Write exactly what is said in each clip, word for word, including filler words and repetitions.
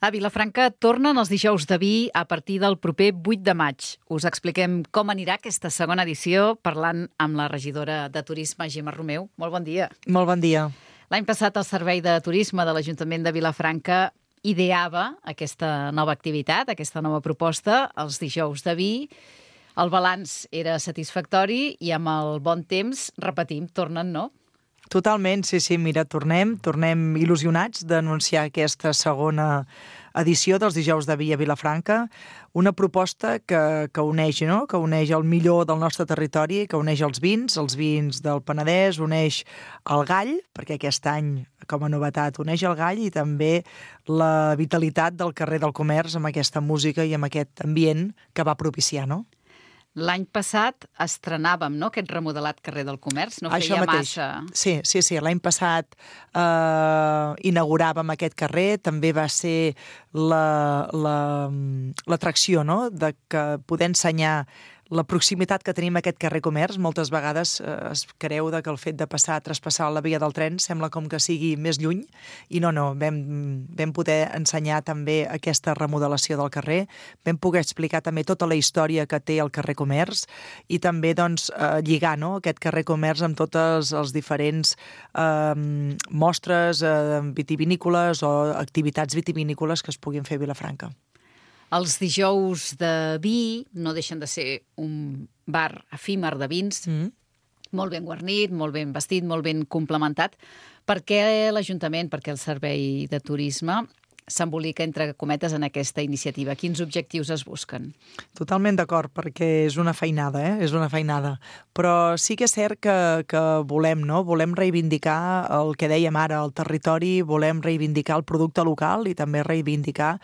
A Vilafranca tornen els dijous de vi a partir del proper vuit de maig. Us expliquem com anirà aquesta segona edició parlant amb la regidora de Turisme, Gemma Romeu. Molt bon dia. Molt bon dia. L'any passat el Servei de Turisme de l'Ajuntament de Vilafranca ideava aquesta nova activitat, aquesta nova proposta, els dijous de vi. El balanç era satisfactori i amb el bon temps, repetim, tornen, no? Totalment, sí, sí, mira, tornem, tornem il·lusionats d'anunciar aquesta segona edició dels dijous de vi a Vilafranca, una proposta que, que uneix, no? que uneix el millor del nostre territori, que uneix els vins, els vins del Penedès, uneix el gall, perquè aquest any, com a novetat, uneix el gall i també la vitalitat del carrer del comerç amb aquesta música i amb aquest ambient que va propiciar, no? L'any passat estrenàvem, no?, aquest remodelat carrer del Comerç, no feia massa. Sí, sí, sí. L'any passat eh, inauguràvem aquest carrer, també va ser l'atracció, la, la, no?, de que poder ensenyar la proximitat que tenim a aquest carrer Comerç. Moltes vegades eh, es creu de que el fet de passar, traspassar la via del tren sembla com que sigui més lluny, i no, no, vam, vam poder ensenyar també aquesta remodelació del carrer, vam poder explicar també tota la història que té el carrer Comerç i també doncs, eh, lligar, no?, aquest carrer Comerç amb totes els diferents eh, mostres eh, vitivinícoles o activitats vitivinícoles que es puguin fer a Vilafranca. Els dijous de vi no deixen de ser un bar efímer de vins, mm. molt ben guarnit, molt ben vestit, molt ben complementat. Per què l'Ajuntament, per què el Servei de Turisme s'embolica, entre cometes, en aquesta iniciativa? Quins objectius es busquen? Totalment d'acord, perquè és una feinada, eh? És una feinada. Però sí que és cert que, que volem, no? Volem reivindicar el que dèiem ara, el territori, volem reivindicar el producte local i també reivindicar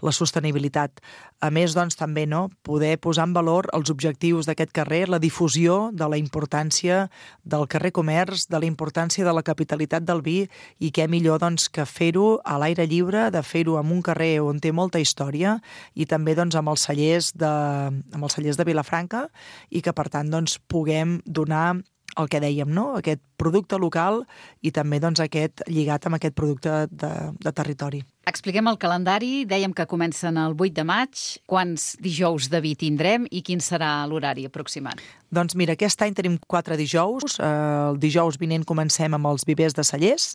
la sostenibilitat. A més, doncs, també, no?, poder posar en valor els objectius d'aquest carrer, la difusió de la importància del carrer Comerç, de la importància de la capitalitat del vi, i què millor, doncs, que fer-ho a l'aire lliure, de fer-ho en un carrer on té molta història i també, doncs, amb els cellers de, amb els cellers de Vilafranca, i que, per tant, doncs, puguem donar el que dèiem, no?, aquest producte local i també, doncs, aquest lligat amb aquest producte de, de territori. Expliquem el calendari. Dèiem que comencen el vuit de maig. Quants dijous de vi tindrem i quin serà l'horari aproximat? Doncs mira, aquest any tenim quatre dijous. El dijous vinent comencem amb els vivers de Cellers.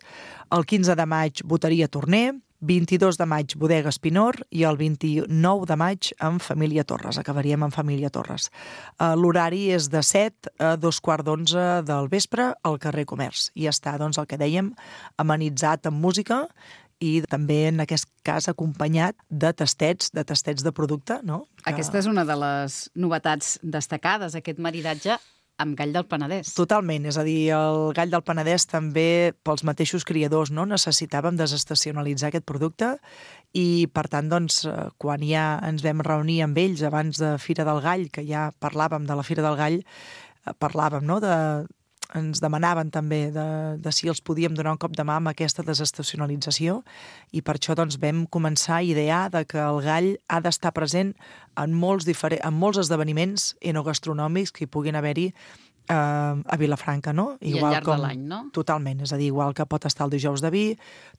El quinze de maig, Boteria Torner. vint-i-dos de maig, Bodega Espinor, i el vint-i-nou de maig amb Família Torres. Acabaríem amb Família Torres. L'horari és de set a dos quarts d'onze del vespre al carrer Comerç. I està, doncs, el que dèiem, amenitzat amb música i també, en aquest cas, acompanyat de tastets, de tastets de producte, no? Que... Aquesta és una de les novetats destacades, aquest maridatge amb gall del Penedès. Totalment, és a dir, el gall del Penedès també, pels mateixos criadors, no?, necessitàvem desestacionalitzar aquest producte i, per tant, doncs, quan ja ens vam reunir amb ells abans de Fira del Gall, que ja parlàvem de la Fira del Gall, parlàvem, no?, de... ens demanaven també de, de si els podíem donar un cop de mà amb aquesta desestacionalització, i per això, doncs, vam començar a idear de que el gall ha d'estar present en molts, diferents, en molts esdeveniments enogastronòmics que hi puguin haver-hi eh, a Vilafranca, no? I al llarg com... de l'any, no? Totalment, és a dir, igual que pot estar el dijous de vi,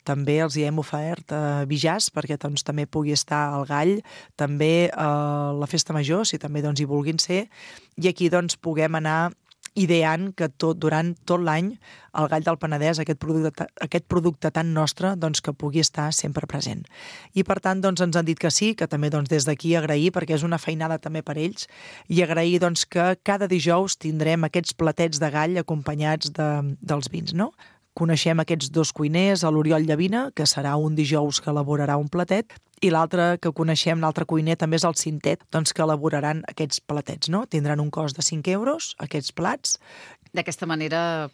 també els hi hem ofert eh, vi jazz, perquè, doncs, també pugui estar el gall, també eh, la festa major, si també, doncs, hi vulguin ser, i aquí, doncs, puguem anar ideant que tot, durant tot l'any el gall del Penedès, aquest producte, aquest producte tan nostre, doncs, que pugui estar sempre present. I, per tant, doncs, ens han dit que sí, que també, doncs, des d'aquí agrair, perquè és una feinada també per ells, i agrair, doncs, que cada dijous tindrem aquests platets de gall acompanyats de, dels vins, no? Coneixem aquests dos cuiners, l'Oriol Llavina, que serà un dijous que elaborarà un platet, i l'altre que coneixem, l'altre cuiner, també és el Cintet, doncs, que elaboraran aquests platets, no? Tindran un cost de cinc euros, aquests plats. D'aquesta manera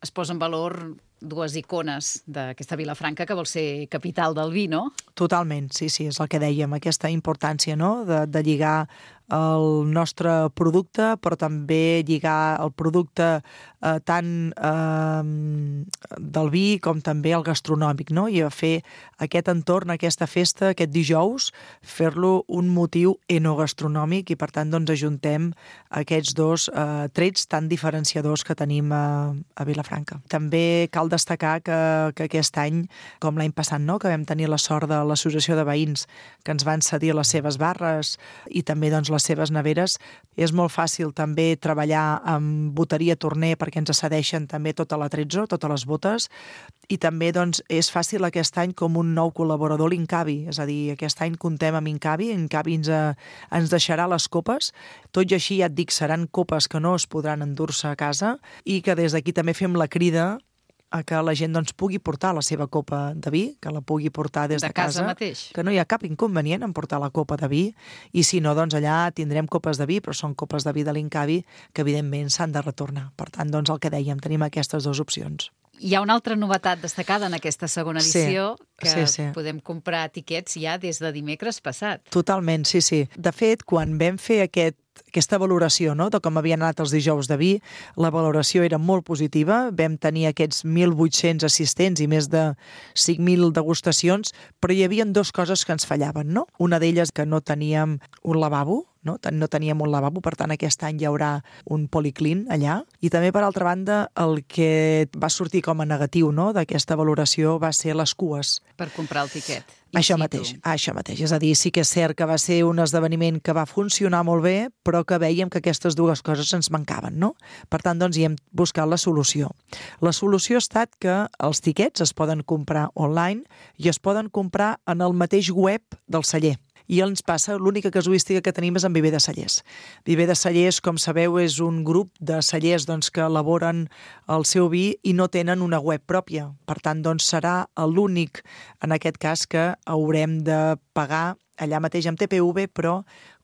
es posa en valor dues icones d'aquesta Vilafranca, que vol ser capital del vi, no? Totalment, sí, sí, és el que dèiem, aquesta importància, no?, de, de lligar el nostre producte, però també lligar el producte eh, tant eh, del vi com també el gastronòmic, no? I a fer aquest entorn, aquesta festa, aquest dijous, fer-lo un motiu enogastronòmic i, per tant, doncs, ajuntem aquests dos eh, trets tan diferenciadors que tenim a, a Vilafranca. També cal destacar que, que aquest any, com l'any passat, no?, que vam tenir la sort de l'associació de veïns que ens van cedir les seves barres i també doncs, les seves neveres. És molt fàcil també treballar amb boteria Torner perquè ens cedeixen també tota la Trezzo, totes les botes, i també doncs, és fàcil aquest any com un nou col·laborador l'Incavi, és a dir, aquest any comptem amb Incavi, Incavi ens, ens deixarà les copes, tot i així ja et dic, seran copes que no es podran endur-se a casa i que des d'aquí també fem la crida a que la gent doncs, pugui portar la seva copa de vi, que la pugui portar des de, de casa, casa mateix. Que no hi ha cap inconvenient en portar la copa de vi, i si no, doncs allà tindrem copes de vi, però són copes de vi de l'Incavi que evidentment s'han de retornar. Per tant, doncs el que dèiem, tenim aquestes dues opcions. Hi ha una altra novetat destacada en aquesta segona edició, sí, que sí, sí. podem comprar tiquets ja des de dimecres passat. Totalment, sí, sí. De fet, quan vam fer aquest aquesta valoració, no?, de com havien anat els dijous de vi, la valoració era molt positiva, vam tenir aquests mil vuit-cents assistents i més de cinc mil degustacions, però hi havia dues coses que ens fallaven, no? Una d'elles que no teníem un lavabo, no? no teníem un lavabo, per tant aquest any hi haurà un policlín allà, i també per altra banda el que va sortir com a negatiu, no?, d'aquesta valoració va ser les cues. Per comprar el tiquet. Això mateix, això mateix. És a dir, sí que és cert que va ser un esdeveniment que va funcionar molt bé, però que vèiem que aquestes dues coses ens mancaven, no? Per tant, doncs, hi hem buscat la solució. La solució ha estat que els tiquets es poden comprar online i es poden comprar en el mateix web del celler. I ens passa, l'única casuística que tenim és amb Viver de Cellers. Viver de Cellers, com sabeu, és un grup de cellers doncs, que elaboren el seu vi i no tenen una web pròpia. Per tant, doncs, serà l'únic, en aquest cas, que haurem de pagar allà mateix amb T P V, però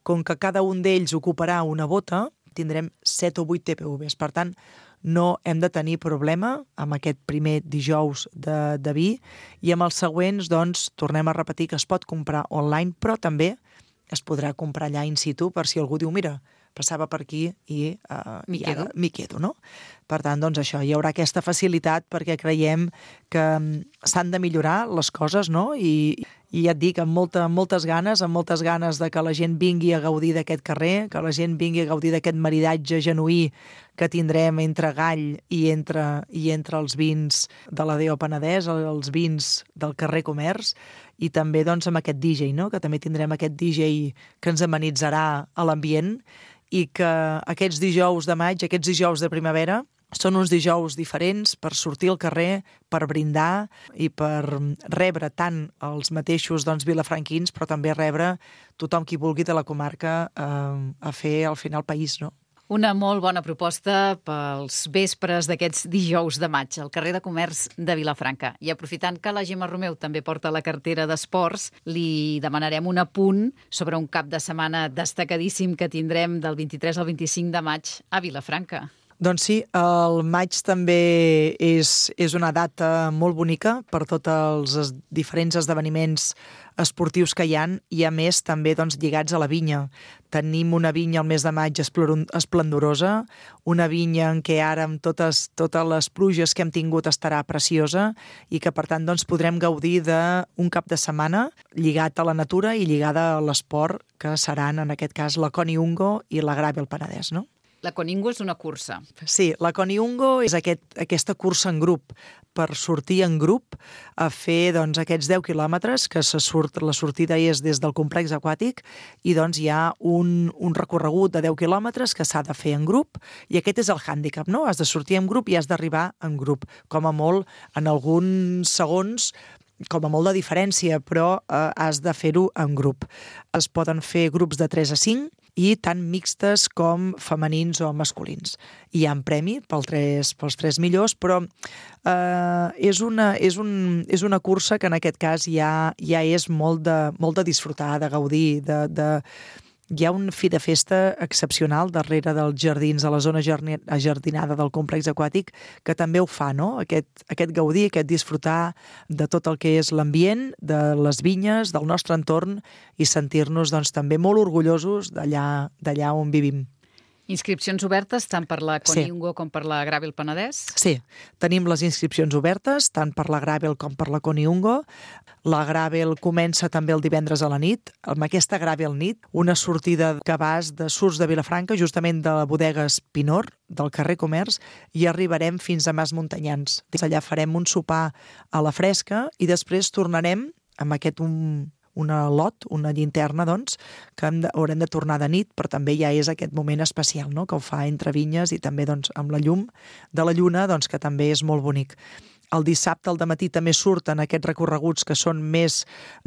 com que cada un d'ells ocuparà una bota, tindrem set o vuit T P Vs. Per tant, no hem de tenir problema amb aquest primer dijous de, de vi, i amb els següents, doncs, tornem a repetir que es pot comprar online, però també es podrà comprar allà in situ per si algú diu, mira, passava per aquí i, uh, m'hi i quedo. ara m'hi quedo, no? Per tant, doncs això, hi haurà aquesta facilitat perquè creiem que s'han de millorar les coses, no? I, i ja et dic, amb, molta, amb moltes ganes, amb moltes ganes de que la gent vingui a gaudir d'aquest carrer, que la gent vingui a gaudir d'aquest maridatge genuí que tindrem entre Gall i entre, i entre els vins de la Déu Penedès, els vins del carrer Comerç, i també doncs, amb aquest D J, no? Que també tindrem aquest D J que ens amenitzarà a l'ambient, i que aquests dijous de maig, aquests dijous de primavera, són uns dijous diferents per sortir al carrer, per brindar i per rebre tant els mateixos doncs, vilafranquins, però també rebre tothom qui vulgui de la comarca eh, a fer al final país, no? Una molt bona proposta pels vespres d'aquests dijous de maig al carrer de Comerç de Vilafranca. I aprofitant que la Gemma Romeu també porta la cartera d'esports, li demanarem un apunt sobre un cap de setmana destacadíssim que tindrem del vint-i-tres al vint-i-cinc de maig a Vilafranca. Doncs sí, el maig també és, és una data molt bonica per tots els es, diferents esdeveniments esportius que hi ha, i a més també doncs, lligats a la vinya. Tenim una vinya al mes de maig esplendorosa, una vinya en què ara amb totes, totes les pluges que hem tingut estarà preciosa i que per tant doncs, podrem gaudir d'un cap de setmana lligat a la natura i lligada a l'esport, que seran en aquest cas la Coniungo i la Gravel Penedès, no? La Coningo és una cursa. Sí, la Coniungo és aquest, aquesta cursa en grup, per sortir en grup a fer doncs, aquests deu quilòmetres, que se surt, la sortida és des del complex aquàtic, i doncs hi ha un, un recorregut de deu quilòmetres que s'ha de fer en grup, i aquest és el hàndicap, no? Has de sortir en grup i has d'arribar en grup. Com a molt, en alguns segons, com a molt de diferència, però eh, has de fer-ho en grup. Es poden fer grups de tres a cinc, i tant mixtes com femenins o masculins. Hi ha un premi pel tres, pels tres millors, però eh, és, una, és, un, és una cursa que en aquest cas ja, ja és molt de, molt de disfrutar, de gaudir, de, de, hi ha un fi de festa excepcional darrere dels jardins, de la zona ajardinada del complex aquàtic, que també ho fa, no? Aquest, aquest gaudir, aquest disfrutar de tot el que és l'ambient, de les vinyes, del nostre entorn, i sentir-nos doncs, també molt orgullosos d'allà d'allà on vivim. Inscripcions obertes tant per la Coniungo sí. com per la Gravel Penedès? Sí, tenim les inscripcions obertes tant per la Gravel com per la Coniungo. La Gravel comença també el divendres a la nit, amb aquesta Gravel nit, una sortida que vas de Surts de Vilafranca, justament de la bodega Espinor, del carrer Comerç, i arribarem fins a Mas Muntanyans. Allà farem un sopar a la fresca i després tornarem amb aquest un, una lot, una llinterna, doncs, que hem de, haurem de tornar de nit, però també ja és aquest moment especial, no?, que ho fa entre vinyes i també doncs, amb la llum de la lluna, doncs, que també és molt bonic. El dissabte al dematí també surten aquests recorreguts que són més,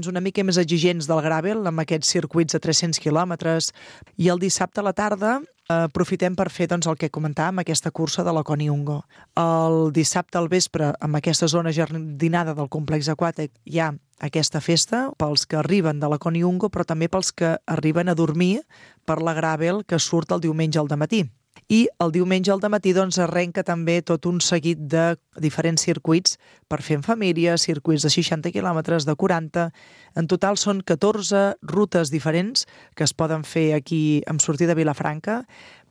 una mica més exigents del gravel, amb aquests circuits de tres-cents quilòmetres, i el dissabte a la tarda eh, aprofitem per fer doncs, el que comentàvem, aquesta cursa de la Coniungo. El dissabte al vespre, amb aquesta zona jardinada del complex aquàtic, hi ha aquesta festa pels que arriben de la Coniungo, però també pels que arriben a dormir per la gravel que surt el diumenge al dematí. I el diumenge al dematí doncs, arrenca també tot un seguit de diferents circuits per fer en família, circuits de seixanta quilòmetres, de quaranta. En total són catorze rutes diferents que es poden fer aquí amb sortida de Vilafranca,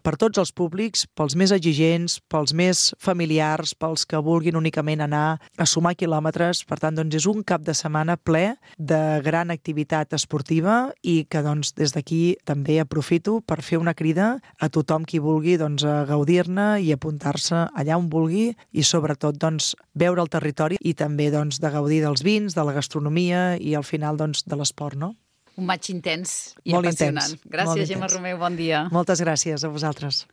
per tots els públics, pels més exigents, pels més familiars, pels que vulguin únicament anar a sumar quilòmetres. Per tant, doncs, és un cap de setmana ple de gran activitat esportiva i que doncs, des d'aquí també aprofito per fer una crida a tothom qui vulgui doncs, a gaudir-ne i apuntar-se allà on vulgui i sobretot doncs, veure el territori i també doncs, de gaudir dels vins, de la gastronomia i al final doncs, de l'esport, no? Un maig intens i Molt apassionant. intens. Gràcies, Gemma Romeu, bon dia. Moltes gràcies a vosaltres.